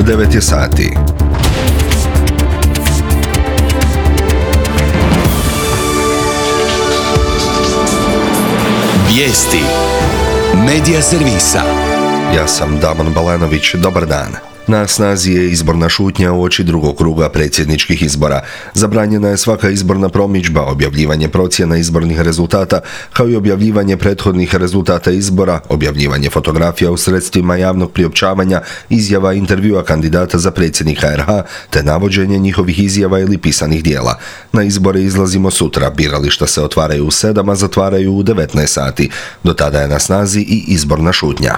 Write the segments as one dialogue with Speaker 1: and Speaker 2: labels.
Speaker 1: 9 je sati.
Speaker 2: Vijesti Medija servisa.
Speaker 1: Ja sam Damon Balanović, dobar dan. Na snazi je izborna šutnja uoči drugog kruga predsjedničkih izbora. Zabranjena je svaka izborna promidžba, objavljivanje procjena izbornih rezultata, kao i objavljivanje prethodnih rezultata izbora, objavljivanje fotografija u sredstvima javnog priopćavanja, izjava i intervjua kandidata za predsjednika RH, te navođenje njihovih izjava ili pisanih dijela. Na izbore izlazimo sutra, birališta se otvaraju u 7, a zatvaraju u 19 sati. Do tada je na snazi i izborna šutnja.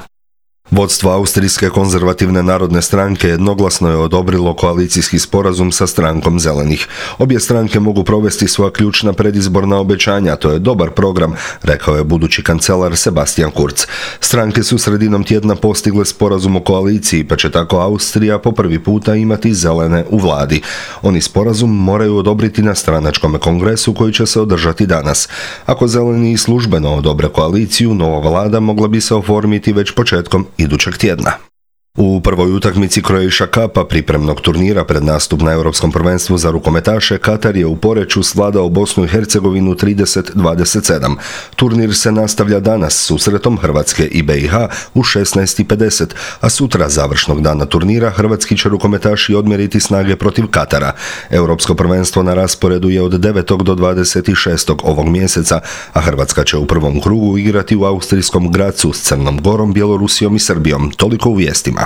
Speaker 1: Vodstvo Austrijske konzervativne narodne stranke jednoglasno je odobrilo koalicijski sporazum sa strankom Zelenih. Obje stranke mogu provesti svoja ključna predizborna obećanja, to je dobar program, rekao je budući kancelar Sebastian Kurz. Stranke su sredinom tjedna postigle sporazum o koaliciji, pa će tako Austrija po prvi puta imati zelene u vladi. Oni sporazum moraju odobriti na stranačkom kongresu koji će se održati danas. Ako Zeleni službeno odobre koaliciju, nova vlada mogla bi se oformiti već početkom idućeg tjedna. U prvoj utakmici Croatia Cupa, pripremnog turnira pred nastup na Europskom prvenstvu za rukometaše, Katar je u Poreču svladao Bosnu i Hercegovinu 30-27. Turnir se nastavlja danas susretom Hrvatske i BiH u 16:50, a sutra završnog dana turnira hrvatski će rukometaši odmjeriti snage protiv Katara. Europsko prvenstvo na rasporedu je od 9. do 26. ovog mjeseca, a Hrvatska će u prvom krugu igrati u austrijskom Grazu s Crnom Gorom, Bjelorusijom i Srbijom. Toliko u vijestima.